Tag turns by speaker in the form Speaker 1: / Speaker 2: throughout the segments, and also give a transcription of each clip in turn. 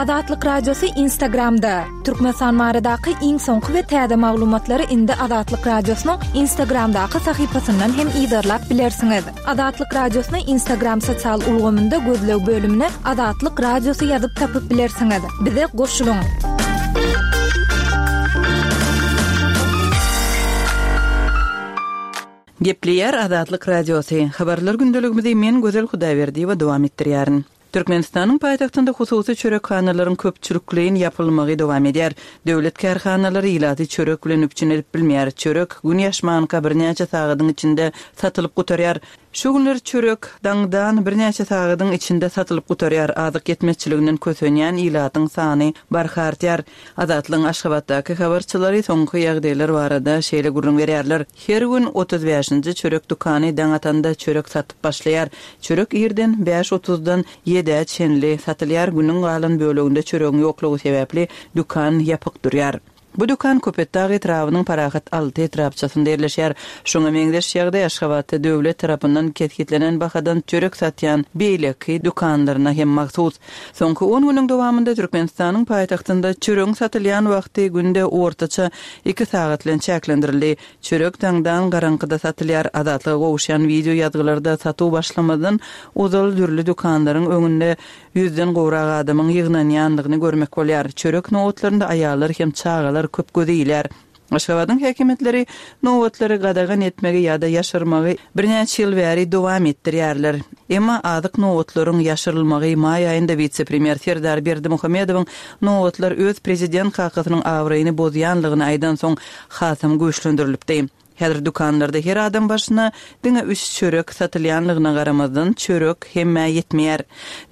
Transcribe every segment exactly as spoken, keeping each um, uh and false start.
Speaker 1: Azatlyk Radiosy Instagramda. Türkmenistan baradaky iň soňky we täze maglumatlary indi Azatlyk Radiosynyň Instagramdaky sahypasyndan hem yzarlap bilersiňiz. Azatlyk Radiosyny Instagram sosial ulgamynda gözleg bölümine Azatlyk Radiosy ýazyp tapyp bilersiňiz. Bize goşulyň.
Speaker 2: Gepleýär Azatlyk Radiosy. Habarlar gündeligimizi men Gözel Hudaýberdiýewa dowam etdirýärin. Türkmenistanyň paýtagtynda hususy çörekhanalaryň köpçülikleýin ýapylmagy dowam edýär. Döwlet kärhanalary ilaty çörek bilen üpjün edip bilmeýär. Çörek gün ýaşmanka birnäçe sagadyň içinde satylyp gutarýar. Şu günler çörek daňdan birnäçe sagadyň içinde satylyp gutarýar. Azyk ýetmezçiliginden kösenýän ilatyň sany barha artýar. Azatlygyň Aşgabatdaky habarçylary soňky ýagdaýlar barada şeýle gürrüň berýärler. Her gün otuz bäşinji çörek dükany daň atanda çörek satyp başlaýar. Çörek irden bäş otuzdan ýedä çenli satylýar. Günüň galan böleginde çöregiň ýoklugy sebäpli dükan ýapyk durýar. Bu dükan Köpetdag etrabynyň Parahat alty etrapçasynda ýerleşýär. Şoňa meňzeş ýagdaý Aşgabatda döwlet tarapyndan kesgitlenen bahadan çörek satýan beýleki dükanlaryna hem mahsus. Soňky on günüň dowamynda Türkmenistanyň paýtagtynda çöregiň satylýan wagty günde ortaça iki sagat bilen çäklendirildi. Çörek daňdan garaňkyda satylýar. Azatlyga gowuşýan wideo ýazgylarda satuw başlamazdan ozal dürli dükanlaryň öňünde ýüzden gowrak adamyň ýygnanýandygyny görmek bolýar. Çörek nobatlarynda aýallar hem çagalar köp göze ilýär. Aşgabadyň häkimiýetleri nobatlary gadagan etmegi ýa-da ýaşyrmagy birnäçe ýyl bäri dowam etdirýärler. Emma azyk nobatlaryň ýaşyrylmagy maý aýynda wise-premýer Serdar Berdimuhamedowyň nobatlar öz prezident kakasynyň abraýyny bozýanlygyny aýdan soň hasam güýçlendirilipdi. Häzir dükanlarda her adam başyna diňe üç çörek satylýanlygyna garamazdan çörek hemmä ýetmeýär.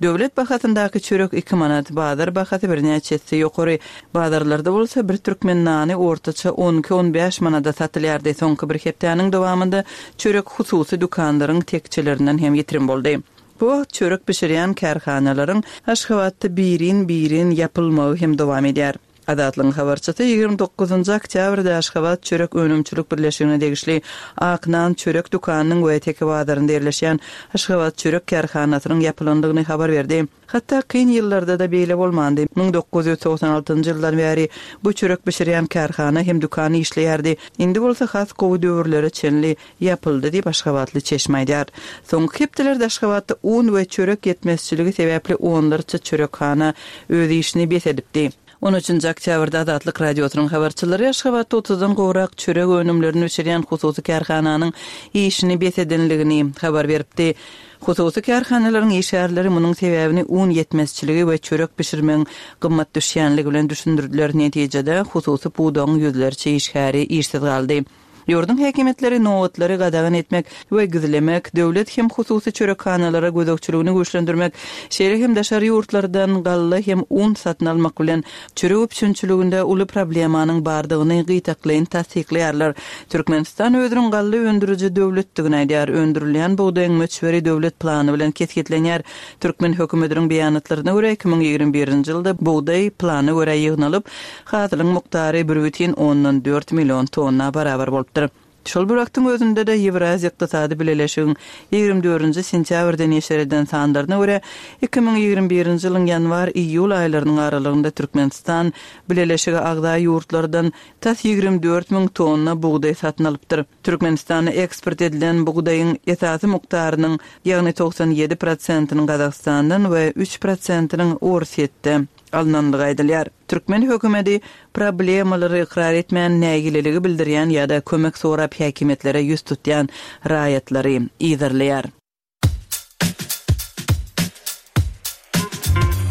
Speaker 2: Döwlet bahasyndaky çörek iki manat, bazar bahasy birnäçe esse ýokary. Bazarlarda bolsa bir türkmen nany ortaça on iki-on bäş manada satylýardy. Soňky bir hepdäniň dowamynda çörek hususy dükanlaryň tekçelerinden hem ýitirim boldy. Bu wagt çörek bişirýän kärhanalaryň Aşgabatda birin-birin ýapylmagy hem dowam edýär. Azatlygyň habarçysy ýigrimi dokuzynjy oktýabrda Aşgabat çörek önümçilik birleşigine degişli Ak nan çörek dükanynyň we Teke bazarynda ýerleşýän Aşgabat çörek kärhanasynyň ýapylandygyny habar berdi. Hatda kyn ýyllarda-da beýle bolmandy. Müň dokuz ýüz togsan altynjy ýyldan bäri bu çörek bişirýän kärhana hem dükan işleýärdi. Indi bolsa has gowy döwürlere çenli ýapyldy diýip Aşgabatly çeşme aýdýar. Soňky hepdelerde Aşgabatda un we çörek ýetmezçiligi sebäpli onlarça çörekhana öz işini bes edipdi. On üçünji oktýabrda Azatlyk Radiosynyň habarçylary Aşgabatda otuzdan gowrak çörek önümlerini bişirýän hususy kärhananyň işini bes edenligini habar beripdi. Hususy kärhanalaryň işgärleri munuň sebäbini un ýetmezçiligi we çörek bişirmegiň gymmat düşýänligi bilen düşündirdiler. Netijede hususy pudagyň ýüzlerçe işgäri işsiz galdy. Ýurduň häkimiýetleri nobatlary gadagan etmek we gizlemek, döwlet hem hususy çörekhanalara gözegçiligini güýçlendirmek, şeýle hem daşary ýurtlardan galla hem un satyn almak bilen çörek üpjünçiliginde uly problemanyň bardygyny gytaklaýyn tassyklaýarlar. Türkmenistan özüniň galla öndüriji döwletdigini aýdýar. Öndürilýän bugdaýyň möçberi döwlet plany bilen kesgitlenýär. Türkmen hökümetiniň beýanatlaryna görä iki müň ýigrimi birinji ýylda bugdaý plana görä ýygnalyp, hasylyň mukdary bir bütin ondan dört million tonna barabar bolupdyr. Şol bir wagtyň özünde-de Ýewraziýa Ykdysady Bileleşigiň ýigrimi dördünji sentýabrda neşir eden sanlaryna görä, iki müň ýigrimi birinji ýylyň ýanwar-iýul aýlarynyň aralygynda Türkmenistan Bileleşige agza ýurtlardan tas ýigrimi dört müň tonna bugdaý satyn alypdyr. Türkmenistana eksport edilen bugdaýyň esasy mukdarynyň, ýagny togsan ýedi prosentiniň Gazagystandan we üç prosentiniň Orsýetde alynandygy aýdylýar. Türkmen hökümeti problemalary ykrar etmän nägileligi bildirýän ýa-da kömek sorap häkimiýetlere ýüz tutýan raýatlary yzarlaýar.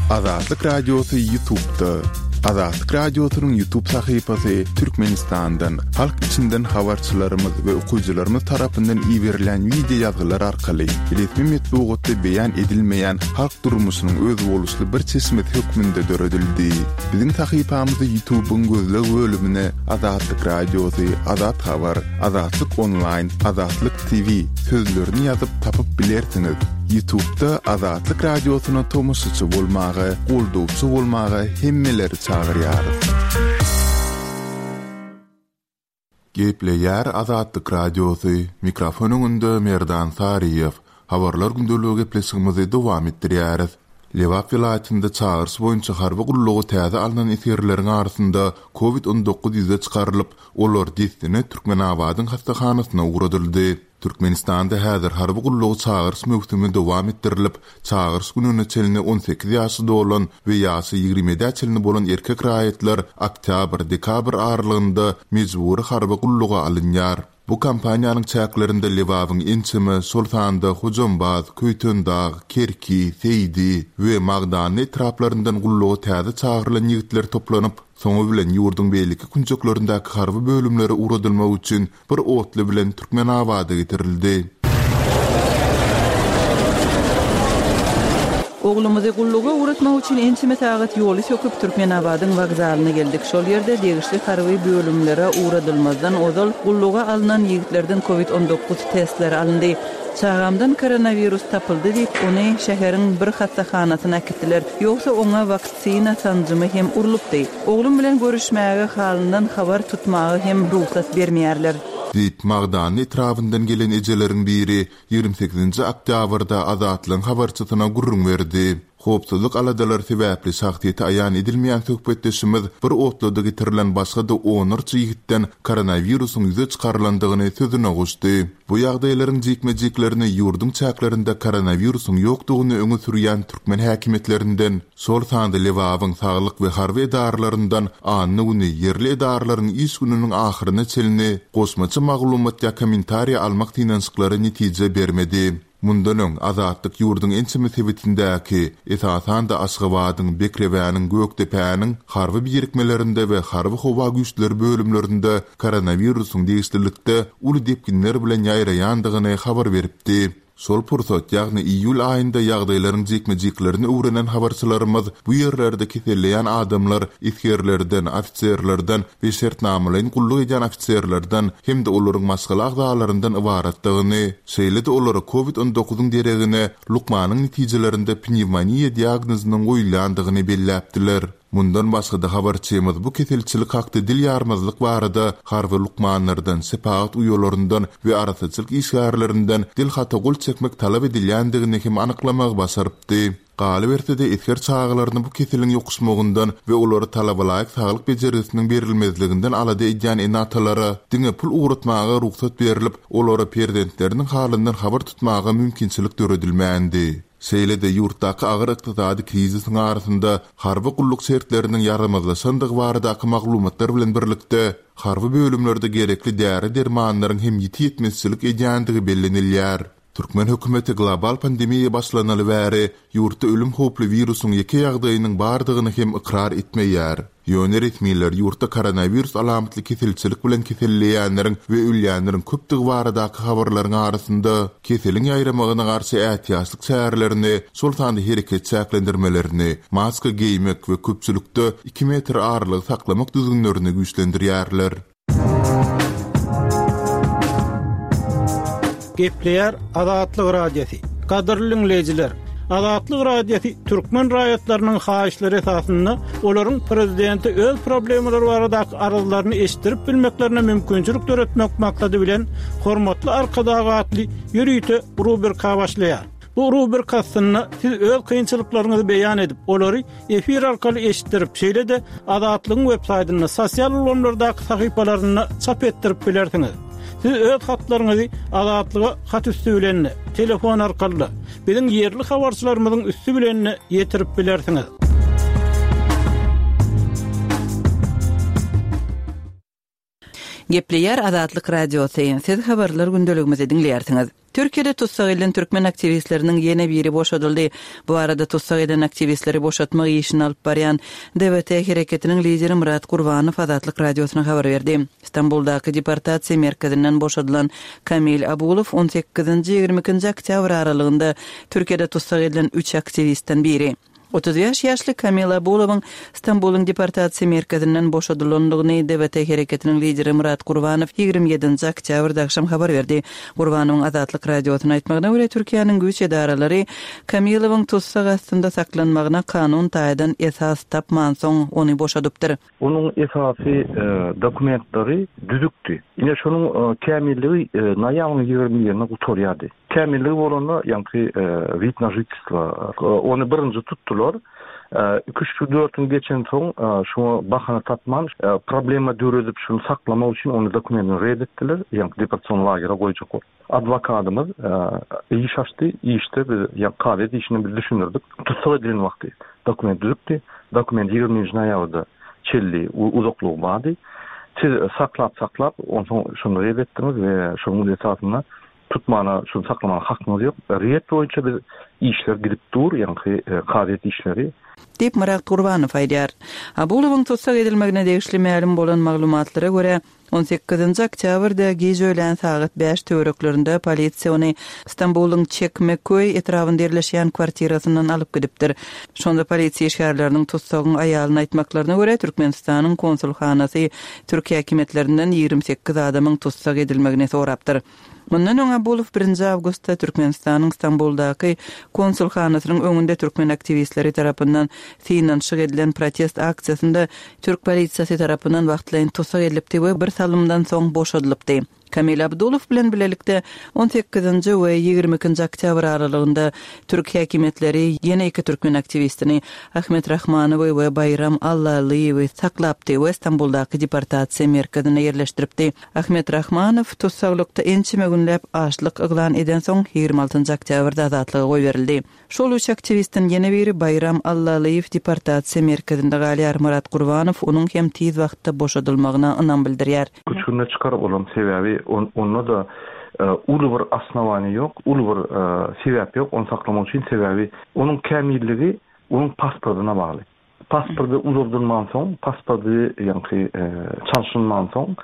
Speaker 3: Azatlyk Radiosy YouTube'da. Azatlyk Radiosynyň YouTube sahypasy Türkmenistandan, halk içinden habarçylarymyz we okyjylarymyz tarapyndan iberilen wideo ýazgylar arkaly resmi metbugatda beýan edilmeýän halk durmuşynyň özboluşly bir çeşmesi hökmünde döredildi. Biziň sahypamyzy YouTube'yň gözleg bölümine Azatlyk Radiosy, Azat Habar, Azatlyk Online, Azatlyk T V sözlerini ýazyp tapyp bilersiňiz. YouTube'da Azatlyk Radiosyna tomaşaçy bolmaga, goldawçy bolmaga hemmeleri çagyrýarys.
Speaker 4: Gepleýär Azatlyk Radiosy. Mikrofon öňünde Merdan Saryýew. Habarlar gündeligi gepleşigimizi dowam etdirýäris.
Speaker 3: Lebap welaýatynda çagyryş boýunça harby gulluga täze alnan esgerleriň arasynda Covid on dokuz ýüze çykarylyp, olar dessine Türkmenabadyň hassahanasyna ugradyldy. Türkmenistanda häzir harby gullugy çagyryş möwsümi dowam etdirilip, çagyryş gününe çenli on sekiz ýaşy dolan we ýaşy ýigrimi ýedä çenli bolan erkek raýatlar oktýabr-dekabr aralygynda mejbury harby gulluga alynýar. Bu kampaniýanyň çäklerinde Lebabyň ençeme, şol sanda Hojambaz, Köýtendag, Kerki, Seýdi we Magdanly etraplaryndan gulluga täze çagyrylan ýigitler toplanyp, soňy bilen ýurduň beýleki künjeklerindäki harby bölümlere ugradylmak üçin bir otly bilen Türkmenabada getirildi.
Speaker 2: Oglumyzy gulluga ugratmak üçin ençeme sagat ýoly söküp Türkmenabadyň wokzalyna geldik. Şol ýerde degişli harby bölümlere ugradylmazdan ozal gulluga alnan ýigitlerden Covid on dokuz testleri alyndy. Çagamdan koronawirus tapyldy diýip, ony şäheriň bir hassahanasyna äkitdiler. Ýogsa oňa waksina sanjymy hem urlupdy. Oglum bilen görüşmäge halyndan habar tutmaga hem ruhsat bermeýärler.
Speaker 3: Diýip, Magdanly etrabyndan gelen ejeleriň biri ýigrimi sekizinji oktýabrda Azatlygyň habarçysyna gürrüň berdi. Howpsuzlyk aladalary sebäpli şahsyýeti aýan edilmeýän söhbetdeşimiz bir otluda getirilen başga-da onlarça ýigitden koronawirusyň ýüze çykarylandygyny sözüne goşdy. Bu ýagdaýlaryň jikme-jiklerini ýurduň çäklerinde koronawirusyň ýokdugyny öňe sürýän türkmen häkimiýetlerinden, şol sanda Lebabyň saglyk we harby edaralaryndan anna güni ýerli edaralaryň iş gününiň ahyryna çenli goşmaça maglumat ýa kommentariýa almak synanyşyklary netije bermedi. Mundan öň Azatlyk ýurduň ençeme sebitindäki, esasan-da Aşgabadyň, Bekrewäniň, Gökdepäniň harby birikmelerinde we harby howa güýçleri bölümlerinde koronawirusyň degişlilikde uly depginler bilen ýaýraýandygyny habar beripdi. Şol pursat, ýagny iýul aýynda ýagdaýlaryň jikme-jiklerini öwrenen habarçylarymyz bu ýerlerde keselleýän adamlar esgerlerden, ofiserlerden we şertnamalaýyn gulluk edýän ofiserlerden hem-de olaryň maşgala agzalaryndan ybaratdygyny, şeýle-de olara Covid on dokuzyň deregine lukmanyň netijelerinde pnewmoniýa diagnozynyň goýulýandygyny belläpdiler. Mundan başga-da habarçymyz bu keselçilik hakda dil ýarmazlyk barada harby lukmanlardan, şepagat uýalaryndan we arasaçylyk işgärlerinden dil hata gol çekmek talap edilýändigini hem anyklamagy başarypdy. Galyberse-de esger çagalaryny bu keseliň ýokuşmagyndan we olary talabalaýyk saglyk bejergisiniň berilmezliginden alada edýän ene-atalara diňe pul ugratmaga rugsat berilip, olara perzentleriniň halyndan habar tutmaga mümkinçilik döredilmändi. Şeýle-de ýurtdaky agyr ykdysady krizisiň arasynda harby gulluk şertleriniň ýaramazlaşandygy baradaky maglumatlar bilen birlikde harby bölümlerde gerekli däri-dermanlaryň hem ýiti ýetmezçilik edýändigi bellenilýär. Türkmen hökümeti global pandemiýa başlanaly bäri ýurtda ölüm howply wirusyň ýeke ýagdaýynyň bardygyny hem ykrar etmeýär. Ýöne resmiler ýurtda koronawirus alamatly keselçilik bilen keselleýänleriň we ölýänleriň köpdügi baradaky habarlaryň arasynda keseliň ýaýramagyna garşy ätiýaçlyk çärelerini, şol sanda hereket çäklendirmelerini, maska geýmek we köpçülikde iki metr aralygy saklamak düzgünlerini güýçlendirýärler.
Speaker 4: Gepleýär Azatlyk Radiosy. Gadyrly dinleýjiler, Azatlyk Radiosy türkmen raýatlarynyň haýyşlary esasynda olaryň prezidenti öz problemalary baradaky arzlaryny eşitdirip bilmeklerine mümkinçilik döretmek maksady bilen hormatly Arkadag atly ýörite rubrika başlaýar. Bu rubrika aslynda siz öz kynçylyklaryňyzy beýan edip, olary efir arkaly eşitdirip, şeýle-de Azatlygyň web saýtynda, sosial ulgamlardaky sahypalarynda çap etdirip bilersiňiz. Siz öz hatlaryňyzy Azatlyga hat üstü bilen, telefon arkaly, biziň ýerli habarçylarymyzyň üstü bilen ýetirip bilersiňiz.
Speaker 2: Gepleýär Azatlyk Radiosy. Siz habarlar gündeligimizi diňleýärsiňiz. Türkiýede tussag edilen türkmen aktiwistleriniň ýene biri boşadyldy. Bu arada tussag edilen aktiwistleri boşatmak işini alyp barýan D V T hereketiniň lideri Murat Gurbanow Azatlyk Radiosyna habar berdi. Stambuldaky deportasiýa merkezinden boşadylan Kamil Abulow on sekizinji ýigrimi ikinji oktýabr aralygynda Türkiýede tussag edilen üç aktiwistden biri. Otuz bäş ýaşly Kamil Abulowyň Stambulyň deportasiýa merkezinden boşadylandygyny D V T hereketiniň lideri Murat Gurbanow ýigrimi ýedinji oktýabrda akşam habar berdi. Gurbanowyň Azatlyk Radiosyna aýtmagyna görä Türkiýäniň güýç edaralary Kamilowyň tussag astynda saklanmagyna kanun taýdan esas tapmansoň ony boşadypdyr.
Speaker 5: Onuň esasy, e, dokumentleri düzükdi. Ine şonuň, e, kämilligi, e, noýabryň ýigrimi birine gutarýardy. Kämilligi bolanda ýaňky wid na žitelstvo ony birinji tutdular. Iki üç dört gün geçen soň şuňa bahana tapman problema döredip şuny saklamak üçin ony dokumentini red etdiler. Ýaňky deportasion lagere goýjak bolup. Adwokatymyz iş açdy, işde biz ýa kazyýet işini biz düşündirdik. Tussag edilen wagty dokument düzüpdi. Dokument ýigriminji noýabrda çelli uzaklygy bardy. Siz saklap saklap onsoň şuny red etdiňiz we şonuň esasynda tutmana, şuny saklamana hakyňyz ýok. Red boýunça biz işler gidip dur, ýaňky kazyýet işleri.
Speaker 2: Diýip Myrat Gurbanow aýdýar. Abulowyň tussag edilmegine degişli mälim bolan maglumatlara görä, on sekizinji oktýabrda gije öýlän sagat bäş töwereklerinde polisiýa ony Stambulyň Çekmeköý etrabynda ýerleşýän kwartirasyndan alyp gidipdir. Şonda polisiýa işgärleriniň tussagyň aýalyny aýtmaklaryna görä, Türkmenistanyň konsulhanasy Türk häkimiýetlerinden ýigrimi sekiz adamyň tussag edilmegini sorapdyr. Mundan öň Abulow birinji awgustda Türkmenistanyň Stambuldaky konsulhanasynyň öňünde türkmen aktiwistleri tarapyndan synanyşyk edilen protest aksiýasynda türk polisiýasy tarapyndan wagtlaýyn tussag edilipdi we bir salymdan soň boşadylypdy. Kamil Abdulow bilen bilelikde on sekizinji we ýigrimi ikinji oktýabr aralygynda türk häkimiýetleri ýene iki türkmen aktiwistini Ahmet Rahmanowy we Baýram Allalyýewi saklapdy we Stambuldaky deportasiýa merkezine ýerleşdiripdi. Ahmet Rahmanow tussaglykda ençeme günläp açlyk yglan eden soň ýigrimi altynjy oktýabrda azatlyga goýberildi. Şol üç aktiwistden ýene biri Baýram Allalyýew deportasiýa merkezinde galýar. Myrat Gurbanow onuň hem tiz wagtda boşadylmagyna ynam bildirýär.
Speaker 5: Üç günde çykaryp olam sebäbi on-, onda da, e, uly bir osnowaniýa ýok, uly bir, e, sebäp ýok ony saklamak üçin, sebäbi onuň kämilligi onuň pasportyna bagly. Pasporty uzadylman soň, pasporty ýaňky, e, çalşylman soň,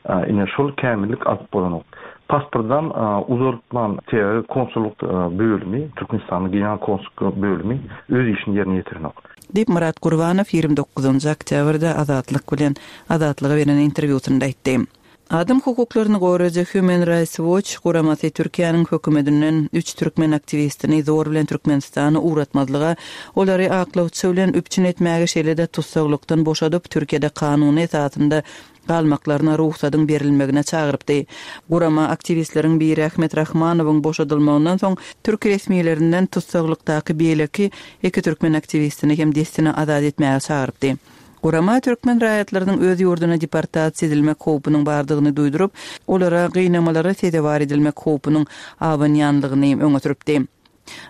Speaker 5: e, ine şol kämillik alyp bolanok. Pasportdan, e, uzatman sebäbi konsullyk, e, bölümi, Türkmenistanyň general konsullyk bölümi öz işini ýerine ýetirenok.
Speaker 2: Diýip Myrat Gurbanow ýigrimi dokuzynjy oktýabrda Azatlyk bilen Azatlyga beren interwýusynda aýtdy. Adam hukuklaryny goraýjy Human Rights Watch guramasy Türkiýäniň hökümetinden üç türkmen aktiwistini zor bilen Türkmenistana ugratmazlyga, olary aklawçy bilen üpjün etmäge şeýle-de tussaglykdan boşadyp Türkiýede kanuny esasynda galmaklaryna ruhsadyň berilmegine çagyrypdy. Gurama aktiwistleriň biri Ahmet Rahmanowyň boşadylmagyndan soň türk resmilerinden tussaglykdaky beýleki iki türkmen aktiwistini hem dessine azat etmäge çagyrypdy. Gurama türkmen raýatlarynyň öz ýurduna deportasiýa edilmek howpunyň bardygyny duýduryp, olara gynamalara sezewar edilmek howpunyň abanýanlygyny öňe sürüpdi.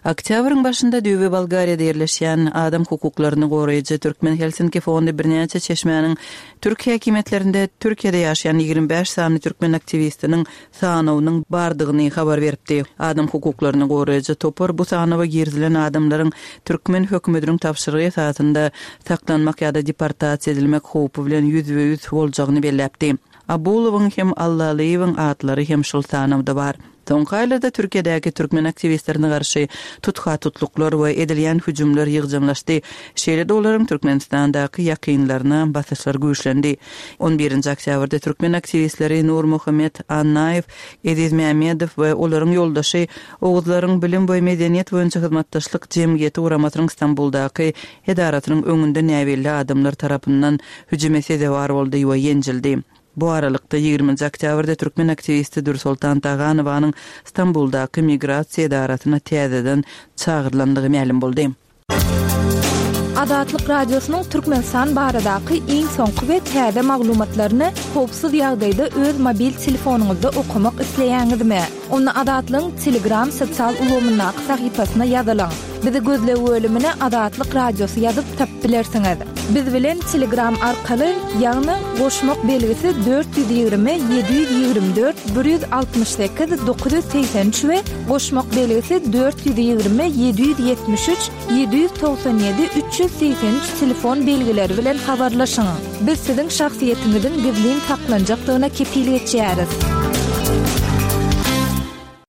Speaker 2: Oktýabryň başynda Düýbi Bolgariýada ýerleşýän adam hukuklaryny goraýjy Türkmen Helsinki fondy birnäçe çeşmäniň türk häkimiýetlerinde Türkiýede ýaşaýan ýigrimi bäş sany türkmen aktiwistiniň sanawynyň bardygyny habar beripdi. Adam hukuklaryny goraýjy topar bu sanawa girizilen adamlaryň türkmen hökümetiniň tabşyrygy esasynda saklanmak ýa-da deportasiýa edilmek howpy bilen ýüzbe-ýüz boljagyny belläpdi. Abulowyň hem Allalyýewiň atlary hem şol sanawda bar. Soňky aýlarda Türkiýedäki türkmen aktiwistlerine garşy tutha tutluklar we edilýän hüjümler ýygjamlaşdy. Şeýle-de olaryň Türkmenistandaky ýakynlaryna basyşlar güýçlendi. On birinji oktýabrda türkmen aktiwistleri Nurmuhammet Annaýew, Eziz Mehmedow we olaryň ýoldaşy Oguzlaryň bilim we medeniýet boýunça hyzmatdaşlyk jemgyýeti guramasynyň Stambuldaky edarasynyň öňünde näbelli adamlar tarapyndan hüjüme sezewar boldy we ýenjildi. Bu aralykda ýigriminji oktýabrda türkmen aktiwisti Dürsoltan Taganowanyň Stambuldaky migrasiýa edarasyna täzeden çagyrylandygy mälim boldy.
Speaker 1: Azatlyk Radiosynyň Türkmenistan baradaky iň soňky we täze maglumatlaryny howpsuz ýagdaýda öz mobil telefonyňyzda okamak isleýäňizmi? Onda Azatlygyň Telegram sosial ulgamyndaky sahypasyna ýazylyň. Bizi gözleg bölümine Azatlyk Radiosy ýazyp tapyp bilersiňiz. Biz bilen Telegram arkaly, ýagny goşmak belgisi dört ýüz ýigrimi, ýedi ýüz ýigrimi dört, bir ýüz altmyş sekiz, dokuz ýüz segsen üç we goşmak belgisi dört ýüz ýigrimi, ýedi ýüz ýetmiş üç, ýedi ýüz togsan ýedi, üç ýüz segsen üç telefon belgileri bilen habarlaşyň. Biz siziň şahsyýetiňiziň gizlin saklanjakdygyna kepil geçýäris.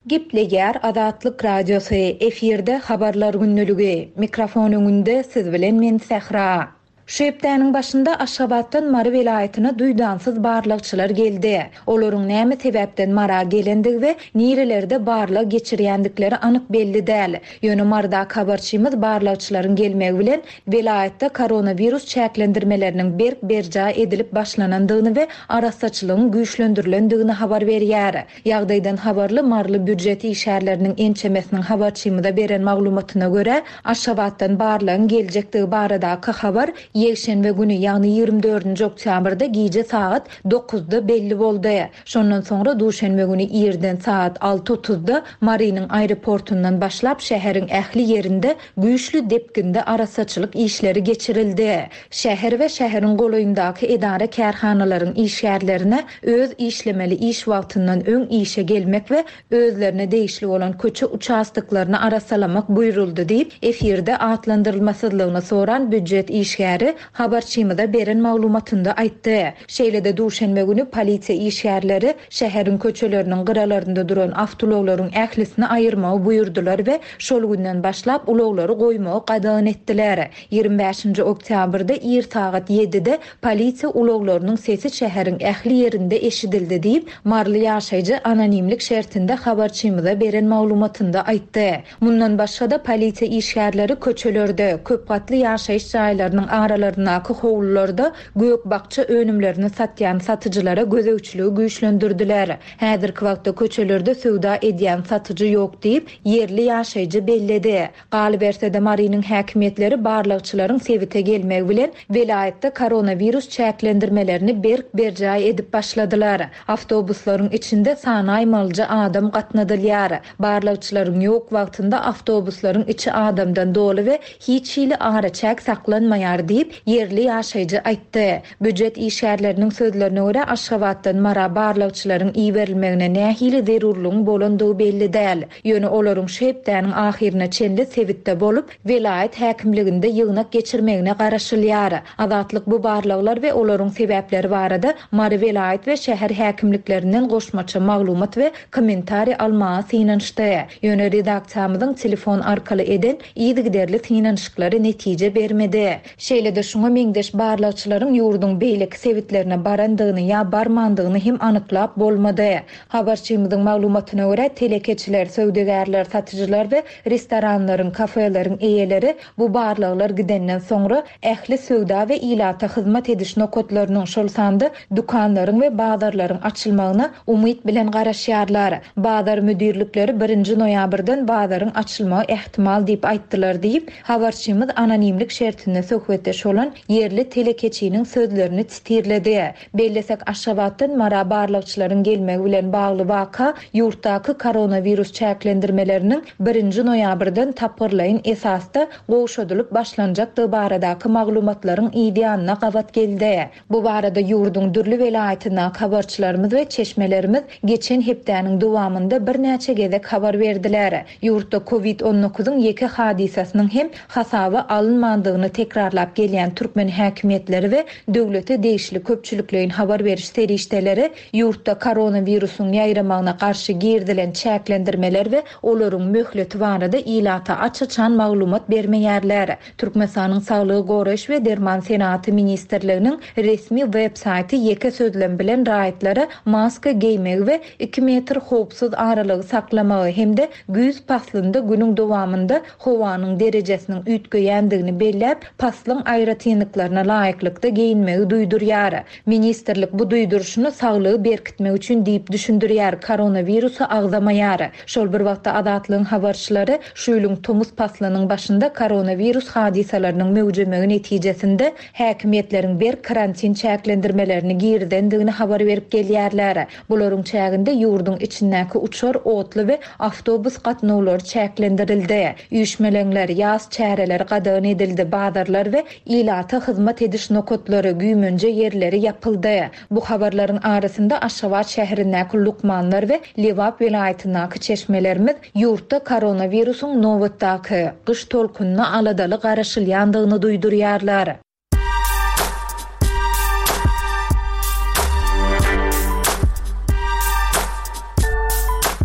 Speaker 6: Gepleýär Azatlyk Radiosy, efirde habarlar günlügi. Mikrofon öňünde siz bilen men Sähra. Şu hepdäniň başynda Aşgabatdan Mary welaýatyna duýdansyz barlagçylar geldi. Olaryň näme sebäpden Mara gelendigi we nirelerde barlag geçirýändikleri anyk belli däl. Ýöne Marydaky habarçymyz barlagçylaryň gelmegi bilen welaýatda koronawirus çäklendirmeleriniň berk berjaý edilip başlanandygyny we arassaçylygyň güýçlendirilendigini habar berýär. Ýagdaýdan habarly maryly býujet işgärleriniň ençemesiniň habarçymyza beren maglumatyna görä, Aşgabatdan barlagyň geljekdigi baradaky habar ýekşenbe güni, ýagny ýigrimi dördünji oktýabrda gije sagat dokuzda belli boldy. Şondan soňra duşenbe güni irden sagat alty otuzda Marynyň aeroportundan başlap şäheriň ähli ýerinde güýçli depginde arassaçylyk işleri geçirildi. Şäher we şäheriň golaýyndaky edara-kärhanalaryň işgärlerine öz işlemeli iş wagtyndan öň işe gelmek we özlerine degişli bolan köçe uçastoklaryny arassalamak buýruldy diýip, efirde atlandyrylmasyzlygyny soran býujet işgäri habarçymyza beren maglumatynda aýtdy. Şeýle-de duşenbe güni polisiýa işgärleri şäheriň köçeleriniň gyralarynda duran awtoulaglaryň ählisini aýyrmagy buýurdylar we şol günden başlap ulaglary goýmagy gadagan etdiler. Ýigrimi bäşinji oktýabrda ir sagat ýedide polisiýa ulaglarynyň sesi şäheriň ähli ýerinde eşidildi diýip, maryly ýaşaýjy anonimlik şertinde habarçymyza beren maglumatynda aýtdy. Mundan başga-da polisiýa işgärleri köçelerde, köp gatly ýaşaýyş jaýlarynyň aralaryndaky howlularda gök-bakja önümlerini satýan satyjylara gözegçiligi güýçlendirdiler. Häzirki wagtda köçelerde söwda edýän satyjy ýok diýip, ýerli ýaşaýjy belledi. Galyberse-de Marynyň häkimiýetleri barlagçylaryň sebite gelmegi bilen welaýatda koronawirus çäklendirmelerini berk berjaý edip başladylar. Awtobuslaryň içinde sanaýmalyja adam gatnadylýar. Barlagçylaryň ýok wagtynda awtobuslaryň içi adamdan doly we hiç hili araçäk saklanmaýar diýip, ýerli ýaşaýjy aýtdy. Býujet işgärleriniň sözlerine görä, Aşgabatdan Mara barlagçylaryň iberilmegine nähili zerurlygyň bolandygy belli däl. Ýöne olaryň şu hepdäniň ahyryna çenli sebitde bolup, welaýat häkimliginde ýygnak geçirmegine garaşylýar. Azatlyk bu barlaglar we olaryň sebäpleri barada Mary welaýat we şäher häkimliklerinden goşmaça maglumat we kommentariý almaga synanyşdy. Ýöne redaksiýamyzyň telefon arkaly eden yzygiderli synanyşyklary netije bermedi. Şeýle-de şuňa meňzeş barlagçylaryň ýurduň beýleki sebitlerine barandygyny ýa barmandygyny hem anyklap bolmady. Habarçymyzyň maglumatyna görä, telekeçiler, söwdagärler, satyjylar we restoranlaryň, kafeleriň eýeleri bu barlaglar gidenden soňra ähli söwda we ilata hyzmat ediş nokatlarynyň, şol sanda dükanlaryň we bazarlaryň açylmagyna umyt bilen garaşýarlar. Bazar müdirlikleri birinji noýabrdan bazaryň açylmagy ähtimal diýip aýtdylar diýip, habarçymyz anonimlik şertinde söhbetdeş bolan ýerli telekeçiniň sözlerini titirledi. Bellesek, Aşgabatdan Mara barlagçylaryň gelmegi bilen bagly waka ýurtdaky koronawirus çäklendirmeleriniň birinji noýabrdan tapgyrlaýyn esasda gowşadylyp başlanjakdygy baradaky maglumatlaryň ýanyna gabat geldi. Bu barada ýurduň dürli welaýatyndaky habarçylarymyz we çeşmelerimiz geçen hepdäniň dowamynda birnäçe gezek habar berdiler. Ýurtda kovid on dokuzyň ýeke hadysasynyň hem hasaba alynmandygyny tekrarlap gelýän türkmen häkimiýetleri we döwlete degişli köpçülikleýin habar beriş serişdeleri ýurtda koronawirusyň ýaýramagyna garşy girdilen çäklendirmeler we olaryň möhleti barada ilata aç-açan maglumat bermeýärler. Türkmenistanyň Saglygy Goraýyş we Derman Senatı Ministrliginiň resmi web saýty ýeke sözlem bilen raýatlara maska geýmegi we iki metr howpsuz aralygy saklamagy hem-de güýz paslynda günüň dowamynda howanyň derejesiniň üýtgeýändigini belläp, paslyň aýratynlyklaryna laýyklykda geýinmegi duýdurýar. Ministrlik bu duýduryşyny saglygy berkitmek üçin diýip düşündirýär, koronawirusy agzamaýar. Şol bir wagtda Azatlygyň habarçylary şu ýylyň tomus paslynyň başynda koronawirus hadysalarynyň möwjemegi netijesinde häkimiýetleriň berk karantin çäklendirmelerini girizendigini habar berip gelýärler. Bularyň çäginde ýurduň içindäki uçar, otly we awtobus gatnawlary çäklendirildi. Üýşmeleňler, ýaz çäreleri gadagan edildi, bazarlar we ilata hyzmat ediş nokatlary, güýmenje ýerleri ýapyldy. Bu habarlaryň arasynda Aşgabat şäherindäki lukmanlar we Lebap welaýatyndaky çeşmelerimiz ýurtda koronawirusyň nobatdaky gyş tolkunyna aladaly garaşylýandygyny duýdurýarlar.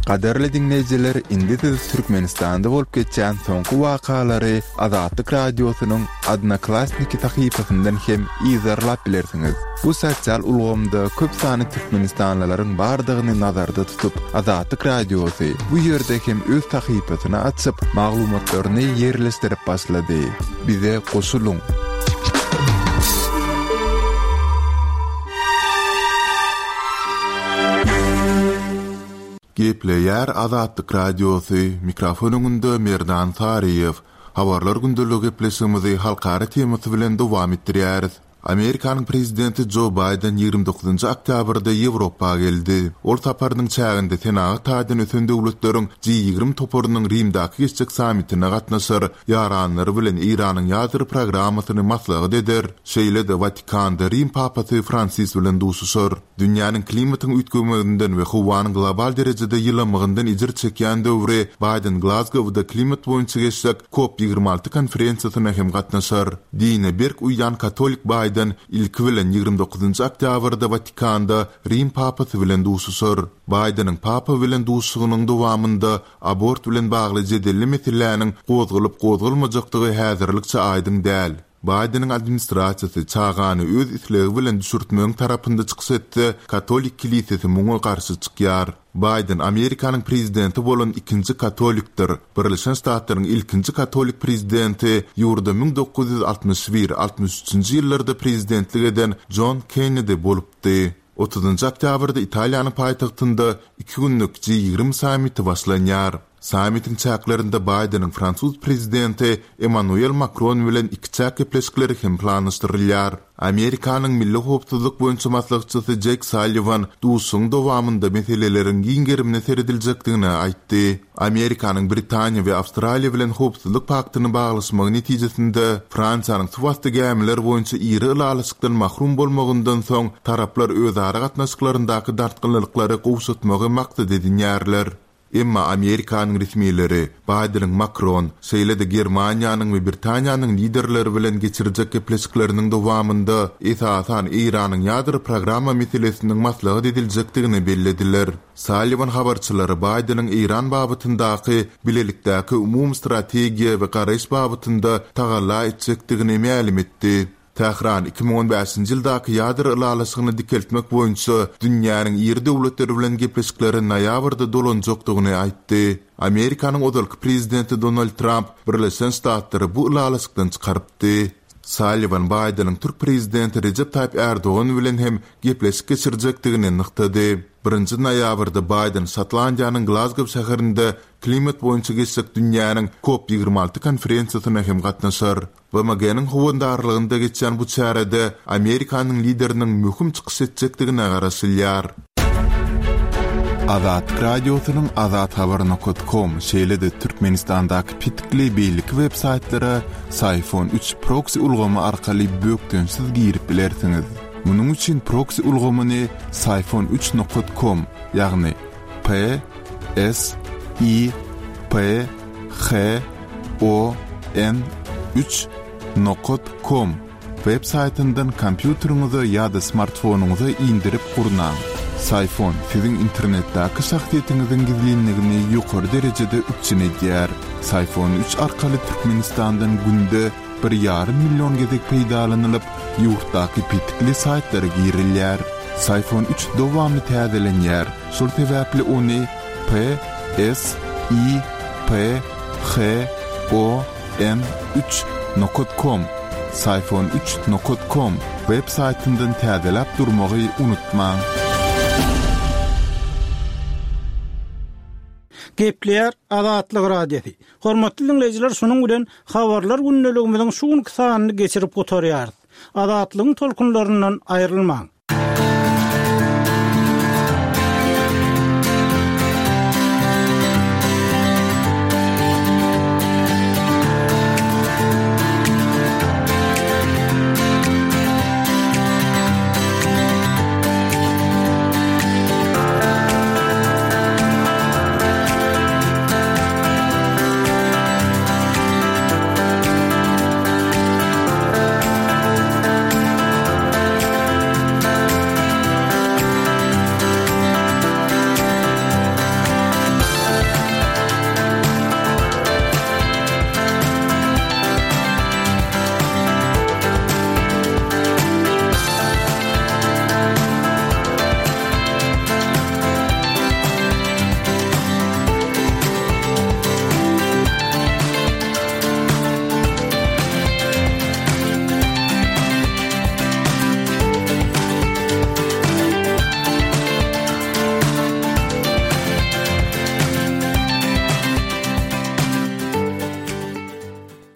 Speaker 3: Gadyrly diňleýjiler, indi siz Türkmenistanda bolup geçýän soňky wakalary Azatlyk Radiosynyň Odnoklassniki sahypasyndan hem yzarlap bilersiňiz. Bu sosial ulgamda köp sanly türkmenistanlylaryň bardygyny nazarda tutup, Azatlyk Radiosy bu ýerde hem öz sahypasyny açyp, maglumatlaryny ýerleşdirip başlady. Bize goşulyň! Gepleýär Azatlyk Radiosy, mikrofon öňünde Merdan Saryýew. Habarlar gündeligi gepleşigimizi halkara temasy bilen dowam etdirýäris. Amerikanyň prezidenti Jo Baýden ýigrimi dokuzynjy oktýabrda Ýewropa geldi. Ol saparynyň çäginde senagat taýdan ösen döwletleriň G ýigrimi toparynyň Rimdäki geçjek sammitine gatnaşar, ýaranlary bilen Eýranyň ýadro programmasyny maslahat eder, şeýle-de Watikanda Rim papasy Fransis bilen duşuşar. Dünýäniň klimatyň üýtgemeginden we howanyň global derejede ýylamagyndan ejir çekýän döwri Baýden Glazgowda klimat boýunça geçjek Kop ýigrimi alty konferensiýasyna hem gatnaşar. Dine berk uýýan katolik Baýden ilki bilen ýigrimi dokuzynjy oktýabrda Watikanda Rim papasy bilen duşuşar. Baýdeniň papa bilen duşuşygynyň dowamynda abort bilen bagly jedelli meseläniň gozgalyp-gozgalmajakdygy häzirlikçe aýdyň däl. Baýdeniň administrasiýasy çagany öz islegi bilen düşürtmegiň tarapynda çykyş etse, katolik kilisesi muňa garşy çykýar. Baýden Amerikanyň prezidenti bolan ikinji katolikdir. Birleşen Ştatlaryň ilkinji katolik prezidenti ýurda müň dokuz ýüz altmyş bir, altmyş üçünji ýyllarda prezidentlik eden Jon Kennedi bolupdy. Otuzynjy oktýabrda Italiýanyň paýtagtynda iki günlük G ýigrimi sammiti başlanýar. Sammitiň çäklerinde Baýdeniň fransuz prezidenti Emmanuel Makron bilen ikiçäk gepleşikleri hem planlaşdyrylýar. Amerikanyň milli howpsuzlyk boýunça maslahatçysy Jek Salliwan duşuşygyň dowamynda meseleleriň giň gerimine serediljekdigini aýtdy. Amerikanyň Britaniýa we Awstraliýa bilen howpsuzlyk paktyny baglaşmagy netijesinde Fransiýanyň suwasty gämiler boýunça iri ylalaşykdan mahrum bolmagyndan soň taraplar özara gatnaşyklaryndaky dartgynlyklary gowşatmagy maksat edinýärler. Emma Amerikanyň resmileri Baýdeniň Makron, şeýle-de Germaniýanyň we Britaniýanyň liderleri bilen geçirjek gepleşikleriniň dowamynda esasan Eýranyň ýadro programma meselesiniň maslahat ediljekdigini bellediler. Salliwan habarçylary Baýdeniň Eýran babatyndaky bilelikdäki umumy strategiýa we garaýyş babatynda tagalla etjekdigini mälim etdi. Tähran iki müň on bäşinji ýyldaky ýadro ylalaşygyny dikeltmek boýunça dünýäniň iri döwletleri bilen gepleşikleri noýabrda dolanjakdygyny aýtdy. Amerikanyň ozalky prezidenti Donald Tramp Birleşen Ştatlary bu ylalaşykdan çykarypdy. Salliwan Baýdeniň türk prezidenti Rejep Taýyp Erdogan bilen hem gepleşik geçirjekdigini nygtady. Birinji noýabrda Baýden Şotlandiýanyň Glazgow şäherinde klimat boýunça geçjek dünýäniň Kop ýigrimi alty konferensiýasyna hem gatnaşar. B M G-niň howandarlygynda geçýän bu çärede Amerikanyň lideriniň möhüm çykyş etjekdigine garaşylýar. Azatlyk Radiosynyň azathabar nokta com, şeýle-de Türkmenistandaky petikli beýleki web saýtlara Syfon üç proksi ulgamy arkaly bökdençsiz girip bilersiňiz. Munuň üçin proksi ulgamyny Syfon üç nokta com, ýagny P S I P H O N üç nokta com web saýtyndan kompýuteriňize ýa-da smartfonyňyza indirip gurnaň. Syfon siziň internetdäki şahsyýetiňiziň gizlinligini ýokary derejede üpjün edýär. Syfon üç arkaly Türkmenistandan günde bir ýarym million gezek peýdalanylyp, ýurtdaky petikli saýtlara girilýär. Syfon üç dowamly täzelenýär. Şol sebäpli ony P S I P H O N üç nokta com, Syfon üç nokta com web saýtyndan täzeläp durmagy unutmaň.
Speaker 4: Gepleýär Azatlyk Radiosy. Hormatly dinleýjiler, şunuň bilen habarlar gündeligimiziň şu günki sanyny geçirip gutarýarys. Azatlygyň tolkunlaryndan aýrylmaň.